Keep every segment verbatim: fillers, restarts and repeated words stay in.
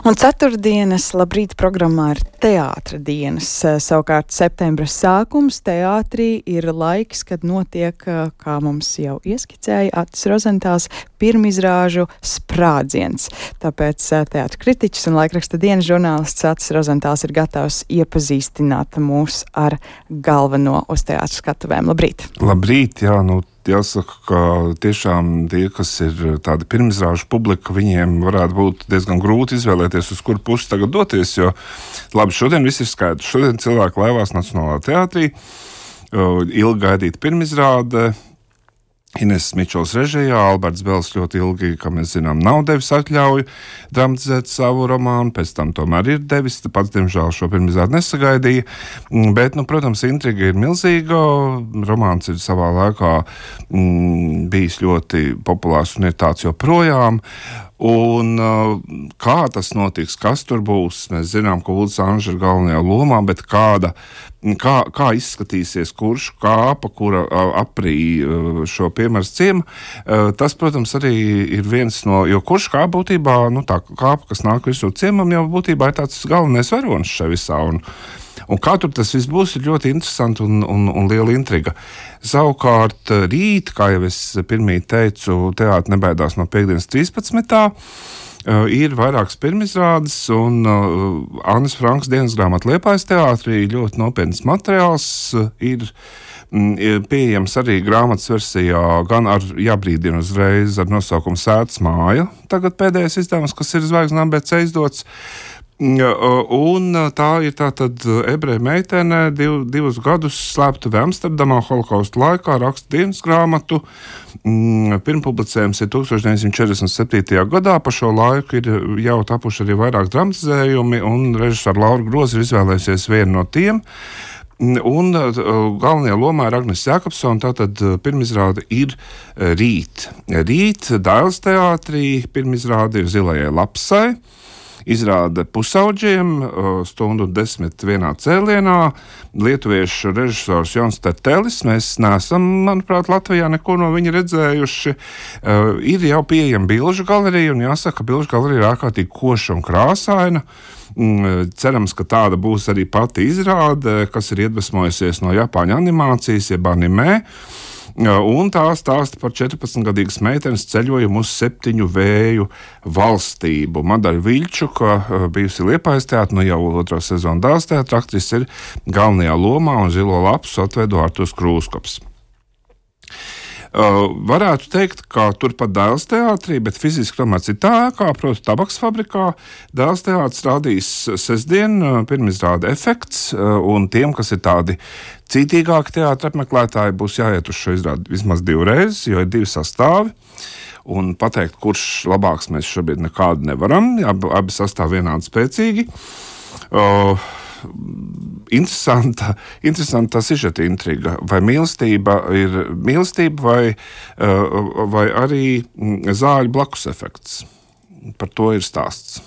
Un ceturtdienas labrīt programmā ir teātra dienas. Savukārt septembra sākums teātrī ir laiks, kad notiek, kā mums jau ieskicēja Atis Rozentāls, pirmizrāžu sprādziens. Tāpēc teātra kritiķis un laikraksta dienas žurnālists Atis Rozentāls ir gatavs iepazīstināt mūs ar galveno uz teātra skatuvēm. Labrīt! Labrīt, jā, nu jāsaka, ka tiešām tie, kas ir tādi pirmizrāžu publika, viņiem varētu būt diezgan grūti izvēlēties, uz kuru pusi tagad doties, jo labi, šodien viss ir skaidrs. Šodien cilvēki laivās Nacionālā teātrī, ilgi gaidīta pirmizrāde, Ines Mičels režijā, Alberts Bels ļoti ilgi, kā mēs zinām, nav devis atļauju dramatizēt savu romānu, pēc tam tomēr ir devis, pats, diemžēl, šo pirmizrādi nesagaidīja, bet, nu, protams, intriga ir milzīga, romāns ir savā laikā mm, bijis ļoti populārs un ir tāds joprojām, un kā tas notiks, kas tur būs, mēs zinām, ka Uldis Anža ir galvenajā lomā, bet kāda, kā, kā izskatīsies kurš kāpa, kura aprī šo piemērs ciema, tas, protams, arī ir viens no, jo kurš kāpa būtībā, nu tā kāpa, kas nāk visu ciemam, jau būtībā ir tāds galvenais varonis šai visā, un Un kā tur tas viss būs, ir ļoti interesanti un, un, un liela intriga. Savukārt rīt, kā jau es pirmīt teicu, teātri nebaidās no piekdienas trīspadsmitā ir vairākas pirmizrādes, un uh, Annes Frankas dienas grāmata Liepājas teātrī ļoti nopietns materiāls ir, ir pieejams arī grāmatas versijā, gan ar jābrīdina uzreiz ar nosaukumu Sētas māja. Tagad pēdējais izdevums, kas ir Zvaigznes A B C izdots. Un tā ir tātad ebreja meitene, div, divus gadus slēptuve Amsterdamā holokausta laikā, raksta dienas grāmatu. Pirmpublicējums ir tūkstoš deviņsimt četrdesmit septītajā gadā, pa šo laiku ir jau tapuši arī vairāk dramatizējumi, un režisora Laura Groza ir izvēlējusies vienu no tiem. Un galvenajā lomā ir Agnes Jākapsone, tātad pirmizrāde ir rīt. Rīt Dailes teātrī pirmizrāde ir Zilajai lapsai. Izrāda pusauģiem, stundu desmit vienā cēlienā, lietuviešu režisors Jons Tertelis. Mēs neesam, manuprāt, Latvijā neko no viņa redzējuši. Uh, ir jau pieejama bilžu galerija, un jāsaka, ka bilžu galerija ir ārkārtīgi koša un krāsaina. Mm, cerams, ka tāda būs arī pati izrāde, kas ir iedvesmojusies no Japāņu animācijas, jeb animē. Un tā stāsta par četrpadsmitgadīgas meitenes ceļojumu uz septiņu vēju valstību. Madaļa Viļčuka, bijusi Liepājas teātra, nu jau otro sezonu Dailes teātra aktrise, ir galvenajā lomā, un Zilo lapsu atveido Artūrs Krūskops. Uh, varētu teikt, ka turpat Dailes teātrī, bet fiziski tomēr citā ēkā, proti Tabaks fabrikā, Dailes teātris rādīs sestdien pirmizrāde Efekts, uh, un tiem, kas ir tādi cītīgāki teātra apmeklētāji, būs jāiet uz šo izrādi vismaz divreiz, jo ir divi sastāvi. Un pateikt, kurš labāks, mēs šobrīd nekādu nevaram, abi, abi sastāvi vienādi spēcīgi. Uh, Interesanta, interesanta sižeta intriga. Vai mīlestība ir mīlestība vai, vai arī zāļu blakus efekts? Par to ir stāsts.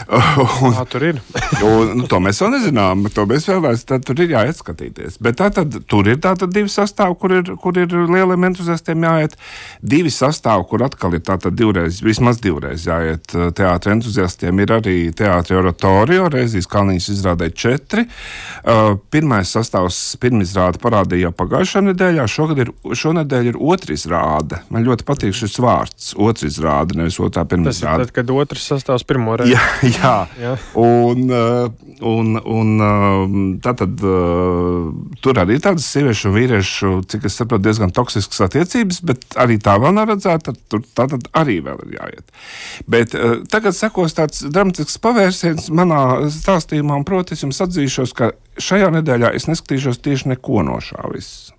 Un, Kā tur ir? un, nu, to mēs vēl nezinām, to mēs vēl vairs, tad tur ir jāiet skatīties. Bet tā tad, tur ir tātad divi sastāvi, kur ir, kur ir lieliem entuziastiem jāiet. Divi sastāvi, kur atkal ir tātad divreiz, vismaz divreiz jāiet teātra entuziastiem, ir arī teātri oratorio, Reizijas Kalniņas izrādē četri. Uh, pirmais sastāvs, pirmizrāde parādīja jau pagājušā nedēļā, šogad ir, šonedēļ ir otrizrāde. Man ļoti patīk šis vārds, otrizrāde, nevis otrā pirmizrāde. Tas ir tad, kad otrs sastāvs pirmo reizi. Jā, jā. jā. Un, un, un tātad tur arī tādas sieviešu un vīriešu, cik es saprotu, diezgan toksiskas attiecības, bet arī tā vēl nav redzēta, tur tātad arī vēl ir jāiet. Bet tagad sekos tāds dramatisks pavērsiens manā stāstījumā, un proti es jums atzīšos, ka šajā nedēļā es neskatīšos tieši neko no šā viss.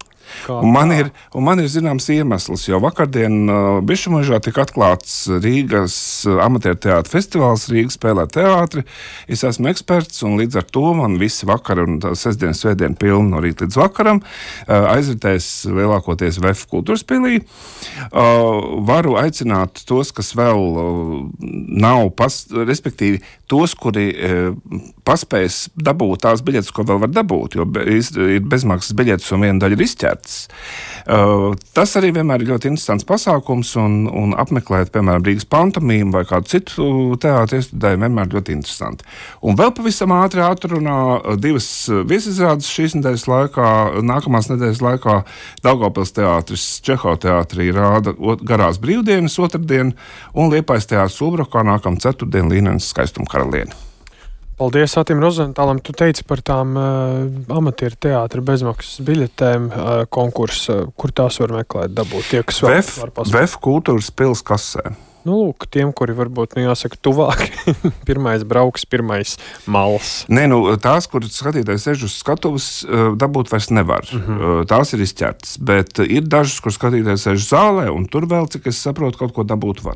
Un man, ir, un man ir zināms iemesls, jo vakardien uh, Bišumužā tika atklāts Rīgas amatieru teātra festivāls, Rīga spēlē teātri. Es esmu eksperts, un līdz ar to man visi vakari un sestdien, svētdien pilni no rīta līdz vakaram uh, aizritēs lielākoties V F kultūras pilī. Uh, varu aicināt tos, kas vēl uh, nav, pas, respektīvi tos, kuri uh, paspējas dabūt tās biļetes, ko vēl var dabūt, jo be, ir bezmaksas biļetes un viena daļa ir izķerta. Uh, tas arī vienmēr ir ļoti interesants pasākums, un, un apmeklēt, piemēram, Rīgas pantomīmu vai kādu citu teātru iestudējumu vienmēr ļoti interesanti. Un vēl pavisam ātri atrunā divas viesizrādes šīs nedēļas laikā, nākamās nedēļas laikā Daugavpils teātris Čehova teātrī rāda Garās brīvdienas otrdien, un Liepājas teātris Ulbrokā nākam ceturtdien Līnenes Skaistuma karalieni. Paldies Atim Rozentālam. Tu teici par tām uh, amatieru teātra bezmaksas biļetēm uh, konkursu, kur tās var meklēt, dabūt tie, kas vēl Vef, var pasūtīt. Vef kultūras pils kasē. Nu, lūk, tiem, kuri varbūt, nu, jāsaka, tuvāk, pirmais brauks, pirmais mals. Nē, nu, tās, kur skatītājs sēž uz skatuves, dabūt vairs nevar. Mm-hmm. Tās ir izķertas, bet ir dažas, kur skatītājs sēž zālē, un tur vēl, cik es saprotu, kaut ko dabūt var.